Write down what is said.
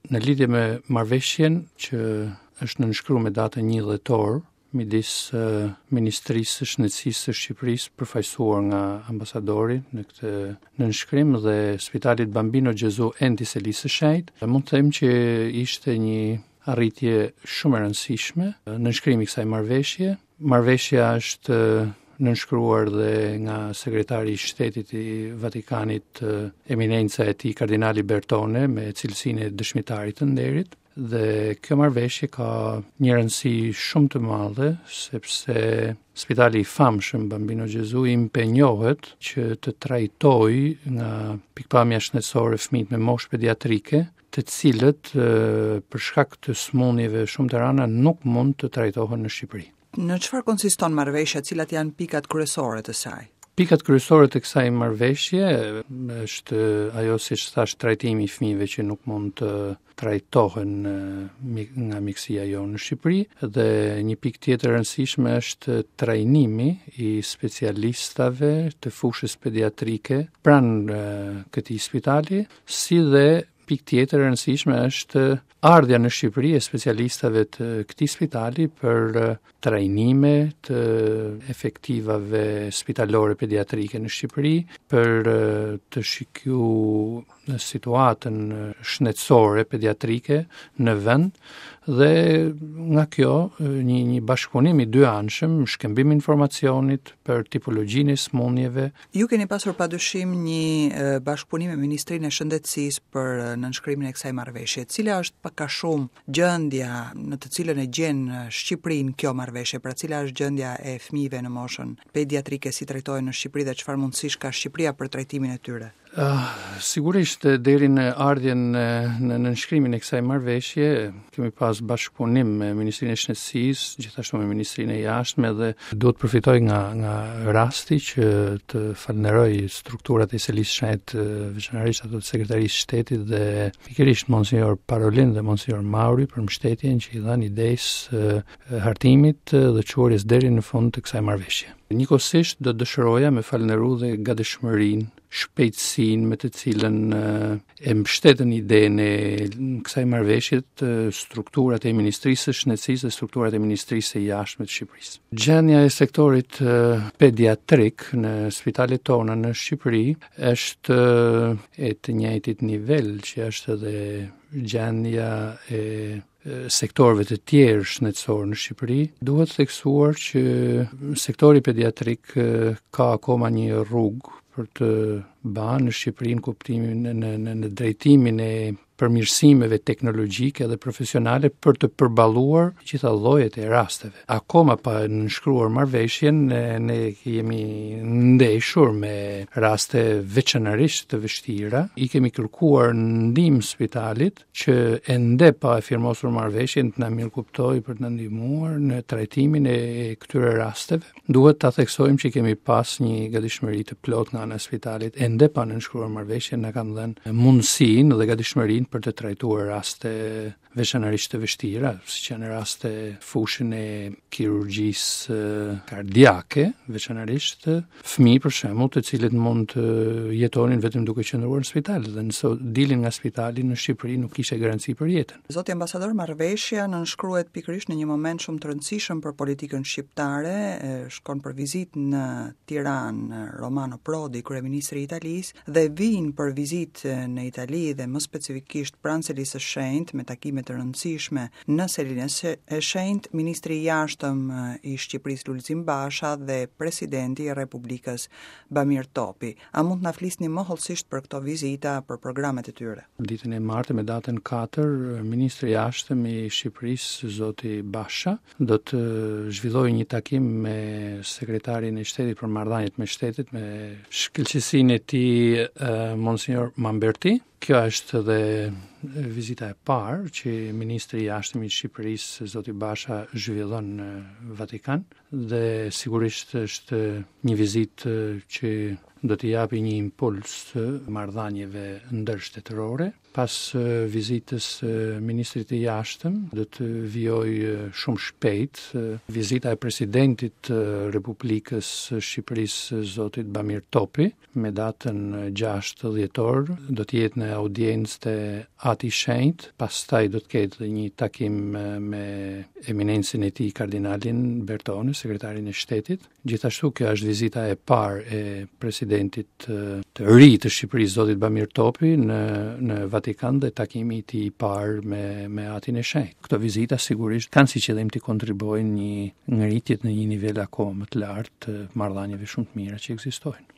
Në lidhje me marrëveshjen që është nënshkruar me datën 1 dhjetor midis Ministrisë së Shëndetësisë së Shqipërisë, përfaqësuar nga ambasadori në këtë nënshkrim dhe Spitalit Bambino Gesù Enti i Selisë së Shenjtë, mund të them që ishte një arritje shumë e rëndësishme nënshkrimi i kësaj marrëveshje. Marrëveshja është nënshkruar dhe nga sekretari i shtetit i Vatikanit, eminenca e tij kardinali Bertone me cilësinë e dëshmitarit të nderit dhe kjo marrëveshje ka një rëndësi shumë të madhe sepse spitali i famshëm Bambino Gesù impenjohet që të trajtojë nga pikëpamja shëndetësore fëmijët me moshë pediatrike të cilët për shkak të sëmundjeve shumë të rënda nuk mund të trajtohen në Shqipëri. Në çfarë konsiston marrëveshja, cilat janë pikat kryesore të saj? Pikat kryesore të kësaj marrëveshje është ajo siç thashë trajtimi i fëmijëve që nuk mund të trajtohen nga mjekësia jonë në Shqipëri dhe një pikë tjetër e rëndësishme është trajnimi i specialistave të fushës pediatrike pranë këtij spitali, si dhe pikë tjetër e rëndësishme është ardhja në Shqipëri e specialistave të këtij spitali për trajnime të efektivave spitalore pediatrike në Shqipëri, për të shiku situatën shëndetësore pediatrike në vend dhe nga kjo një një bashkëpunim i dyanshëm, shkëmbim informacionit për tipologjinë e sëmundjeve, Ju keni pasur padyshim një bashkëpunim me Ministrinë e Shëndetësisë për nënshkrimin e kësaj marrëveshje. Cila është pak a shumë gjendja në të cilën e gjen Shqipërinë kjo marrëveshje? Pra cila është gjendja e fëmijëve në moshën pediatrike si trajtohen në Shqipëri dhe çfarë mundësish ka Shqipëria për trajtimin e tyre? Uh, sigurisht deri në ardhjen në, në nënshkrimin e kësaj marrëveshje kemi pas bashkëpunim me Ministrinë e Shëndetësisë, gjithashtu me Ministrinë e Jashtme dhe duhet të përfitoj nga nga rasti që të falënderoj strukturat e Selisë Shenjtë, veçanërisht ato të Sekretarisë së Shtetit dhe pikërisht Monsignor Parolin dhe Monsignor Mauri për mbështetjen që i dhanë idesë hartimit dhe çuarjes deri në fund të kësaj marrëveshje. Njëkohësisht do të dëshiroja me falënderu dhe gatishmërinë, shpejtësinë me të cilën e mbështetën idenë e kësaj marrëveshje të strukturat e Ministrisë së Shëndetësisë dhe strukturat e Ministrisë së Jashtme të Shqipërisë. Gjendja e sektorit pediatrik në spitalet tona në Shqipëri është e të njëjtit nivel që është edhe gjendja e sektorëve të tjerë shëndetësorë në Shqipëri, duhet theksuar që sektori pediatrik ka akoma një rrugë për të ba në Shqipëri në kuptimin në në në, në drejtimin e përmirësimeve teknologjike dhe profesionale për të përballuar gjitha llojet e rasteve. Akoma pa nënshkruar marrëveshjen, ne, ne jemi ndeshur me raste veçanërisht të vështira. I kemi kërkuar ndihmë spitalit që ende pa e firmosur marrëveshjen të na mirëkuptojë për të na ndihmuar në trajtimin e këtyre rasteve. Duhet ta theksojmë që kemi pas një gatishmëri të plotë nga ana e spitalit, ende pa nënshkruar marrëveshjen na kanë dhënë mundësinë dhe gatishmërinë për të trajtuar raste veçanërisht të vështira, siç janë raste fushën e kirurgjisë kardiake, veçanërisht fëmijë për shembull, të cilët mund të jetonin vetëm duke qëndruar në spital dhe nëse dilin nga spitali në Shqipëri nuk kishte garanci për jetën. Zoti ambasador, marrëveshja nënshkruhet pikërisht në një moment shumë të rëndësishëm për politikën shqiptare, shkon për vizitë në Tiranë Romano Prodi, kryeministri i Italisë, dhe vijnë për vizitë në Itali dhe më specifikisht pranë Selisë së Shenjtë me takime të rëndësishme Në Selinë e Shenjtë, ministri i Jashtëm i Shqipërisë Lulzim Basha dhe presidenti i Republikës Bamir Topi. A mund të na flisni më hollësisht për këto vizita, për programet e tyre? Ditën e martë me datën 4, ministri i Jashtëm i Shqipërisë, zoti Basha, do të zhvillojë një takim me sekretarin e shtetit për marrëdhëniet me shtetet, me shkëlqesinë e tij Monsignor Mamberti. Kjo është dhe vizita e parë që ministri i Jashtëm i Shqipërisë, zoti Basha, zhvillon në Vatikan dhe sigurisht është një vizitë që do t'i japi një impuls marrëdhënieve ndërshtetërore. Pas vizitës së ministrit të Jashtëm, do të vijojë shumë shpejt vizita e presidentit të Republikës së Shqipërisë, zotit Bamir Topi, me datën 6 dhjetor, do të jetë në audiencë te Ati i Shenjtë, pastaj do të ketë dhe një takim me eminencën e tij kardinalin Bertone, sekretarin e shtetit. Gjithashtu kjo është vizita e parë e presidentit të ri të Shqipërisë, zotit Bamir Topi në në Vatikan dhe takimi i tij i parë me me Atin e Shenjtë. Këto vizita sigurisht kanë si qëllim të kontribuojnë një ngritje në një nivel akoma më të lartë të marrëdhënieve shumë të mira që ekzistojnë.